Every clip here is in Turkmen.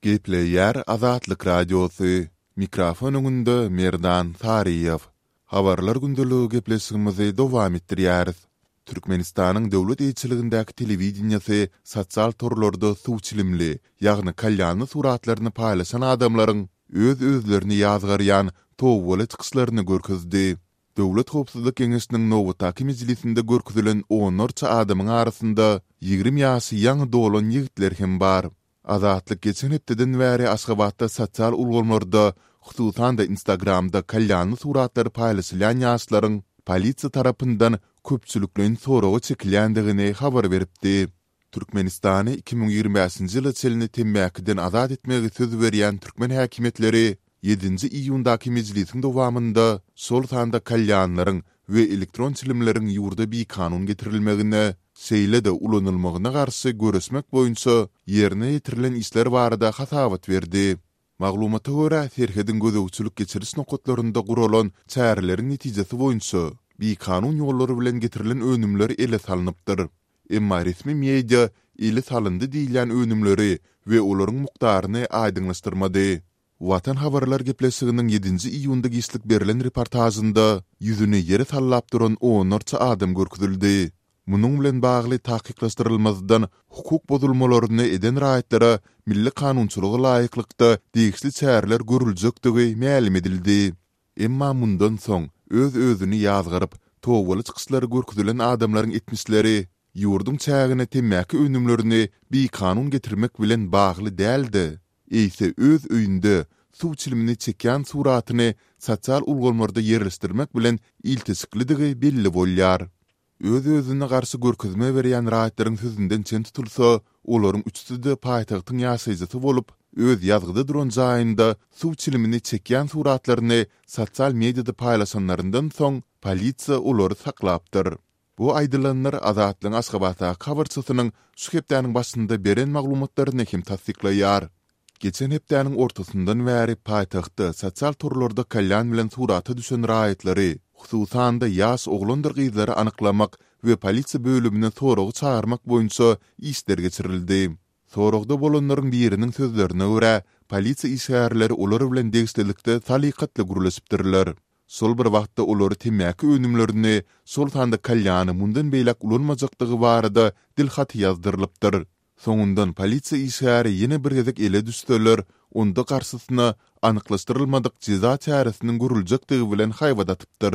Gepleýär Azatlyk Radiosy, Mikrofon öňünde Merdan Saryýew. Habarlar gündeligi gepleşigimizi dowam etdirýäris. Türkmenistanyň döwlet eýeçiligindäki telewideniýesi sosial torlarda suw çilimli, ýagny kalýanly suratlaryny paýlaşan adamlaryň öz-özlerini ýazgarýan tobaly çykyşlaryny görkezdi. Döwlet howpsuzlyk geňeşiniň nobatdaky mejlisinde görkezilen onlarça adamyň arasynda 20 ýaşy ýaňy dolan ýigitler hem bar. Azatlyk geçen hepdeden bäri Aşgabatda sosial ulgamlarda, hususan-da Instagramda kalýanly suratlary paýlaşylýan ýaşlaryň polisiýa tarapyndan köpçülikleýin soraga çekilýändigini habar beripdi. Türkmenistany 2025-nji ýyla çenli temmäkiden azat etmegi söz berýän türkmen häkimiýetleri ýedinji iýundaky mejlisiň dowamynda şol sanda kalýanlaryň we elektron çilimleriň ýurda bikanun getirilmegine, şeýle-de ulanylmagyna garşy göreşmek boýunça ýerine ýetirilen işler barada hasabat berdi. Maglumata görä, serhediň gözegçilik-geçiriş nokatlarynda guralan çäreleriň netijesi boýunça bikanun ýollar bilen getirilen önümler ele salnypdyr. Emma resmi media ele salyndy diýilýän önümleri we olaryň mukdaryny aýdyňlaşdyrmady. Watan habarlar gepleşiginiň ýedinji iýunda giçlik berlen reportažynda ýüzüni ýere sallap duran onlarça adam görkezildi. Munuň bilen bagly takyklaşdyrylmazdan hukuk bozulmalaryny eden raýatlara milli kanunçylyga laýyklykda degişli çäreler görüljekdigi mälim edildi. Emma mundan soň öz-özüni ýazgaryp, tobaly çykyşlary görkezilen adamlaryň etmişleri ýurduň çägine temmäki önümlerini bikanun getirmek bilen bagly däl-de, eýse öz öýünde suw çilimini çekýän suratyny sosial ulgamlarda ýerleşdirmek bilen ilteşiklidigi belli bolýar. Öz-özüne garşy görkezme berýän raýatlaryň sözünden çen tutulsa, olaryň üçüsi-de paýtagtyň ýaşaýjysy bolup, öz ýazgyda duran jaýynda suw çilimini çekýän suratlaryny sosial mediada paýlaşanlaryndan soň, polisiýa olary saklapdyr. Bu aýdylanlar Azatlygyň Aşgabatdaky habarçysynyň şu hepdäniň başynda beren maglumatlaryny hem tassyklaýar. Geçen hepdäniň ortasyndan bäri paýtagtda sosial torlarda kalýan bilen surata düşen raýatlary, hususan-da ýaş oglandyr gyzlary anyklamak we polisiýa bölümine soraga çagyrmak boýunça işler geçirildi. Soragda bolanlaryň biriniň sözlerine görä, polisiýa işgärleri olar bilen degişlilikde salykatly gürleşipdirler. Şol bir wagtda olary temmäki önümlerini, şol sanda kalýany mundan beýläk ulanmajakdygy barada dilhaty ýazdyrylypdyr. Soňundan polisiýa işgäri ýene bir gezek ele düşseler, onda garşysyna anyklaşdyrylmadyk jeza çäresiniň görüljekdigi bilen haýbat atypdyr.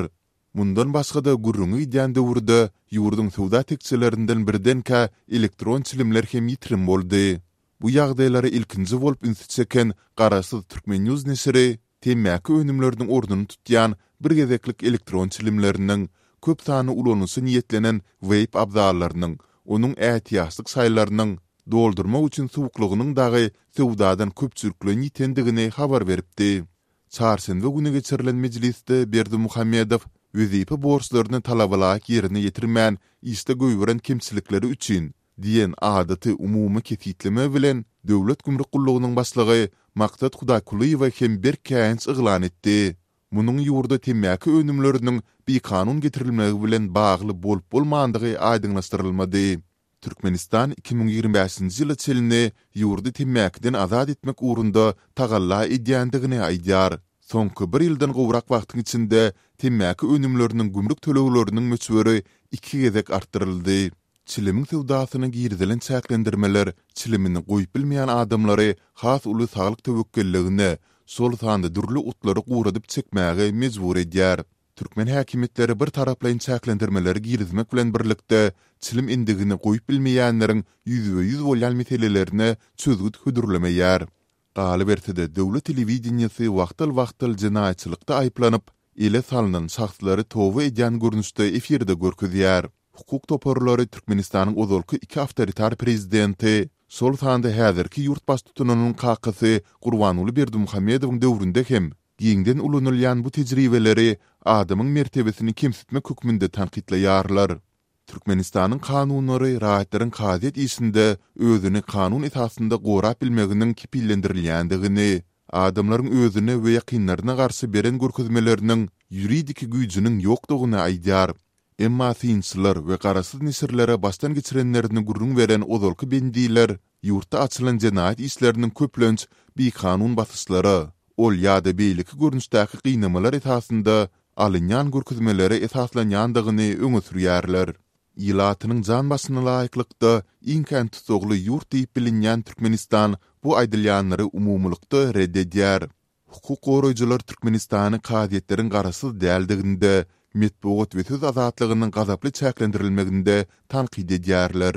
Mundan başga-da gürrüňi gidýän döwürde ýurduň söwda tekjelerinden birdenkä elektron çilimler hem ýitirim boldy. Bu ýagdaýlara ilkinji bolup ünsi çeken garaşsyz Turkmennews neşiri temmäki önümleriniň ornuny tutýan bir gezeklik elektron çilimleriniň, köp sanly ulanyşa niýetlenen weýp abzallarynyň, onuň ätiýaçlyk şaýlarynyň, doldurmak üçin suwuklygynyň dagy söwdadan köpçülikleýin ýitendigini habar beripdi. Çarşenbe güni geçirilen mejlisde Berdimuhamedow wezipe borçlaryny talabalaýyk ýerine ýetirmän işde goýberen kemçilikleri üçin diýen adaty umumy kesgitleme bilen Döwlet gümrük gullugynyň başlygy Maksat Hudaýkulyýewe hem berk käýinç yglan etdi. Munuň ýurda temmäki önümleriniň bikanun getirilmegi bilen bagly bolup-bolmandygy aýdyňlaşdyrylmady. Türkmenistan 2025-nji ýyla çenli ýurdy temmäkiden azat etmek ugrunda tagalla edýändigini aýdýar. Soňky bir ýyldan gowrak wagtyň içinde temmäki önümleriniň gümrük tölegleriniň möçberi iki gezek artdyryldy. Çilimiň söwdasyna girizilen çäklendirmeler çilimini goýup bilmeýän adamlary has uly saglyk töwekgelligine, şol sanda dürli otlary guradyp çekmäge mejbur edýär. Türkmen häkimiýetleri bir taraplaýyn çäklendirmeleri girizmek bilen birlikde, çilim endigini goýup bilmeýänleriň ýüzbe-ýüz bolýan meselelerine çözgüt hödürlemeýär. Galyberse-de, döwlet telewideniýesi wagtal-wagtal jenaýatçylykda aýyplanyp, ele salnan şahslary toba edýän görnüşde efirde görkezýär. Hukuk toparlary Türkmenistanyň ozalky iki awtoritar prezidenti, şol sanda häzirki ýurt baştutanynyň kakasy Gurbanguly Berdimuhamedowyň döwründe hem giňden ulanylýan bu tejribeleri adamyň mertebesini kemsitmek hökmünde tankytlaýarlar. Türkmenistanyň kanunlary raýatlaryň kazyýet işinde özüni kanun esasynda gorap bilmeginiň kepillendirilýändigini, adamlaryň özüne we ýakynlaryna garşy beren görkezmeleriniň ýuridiki güýjüniň ýokdugyny aýdýar. Emma synçylar we garaşsyz neşirlere başdan geçirenlerini gürrüň beren ozalky bendiler. ýurtda açylan jenaýat işleriniň köplenç bikanun basyşlara, ol ýa-da beýleki görnüşdäki gynamalar esasynda alynýan görkezmelere esaslanýandygyny öňe sürýärler. Ilatynyň jan başyna laýyklykda iň kän tussagly ýurt diýip bilinýän Türkmenistan bu aýdylýanlary umumylykda ret edýär. Hukuk goraýjylar Türkmenistany kazyýetleriň garaşsyz däldiginde, metbugat we söz azatlygynyň gazaply çäklendirilmeginde tankyt edýärler.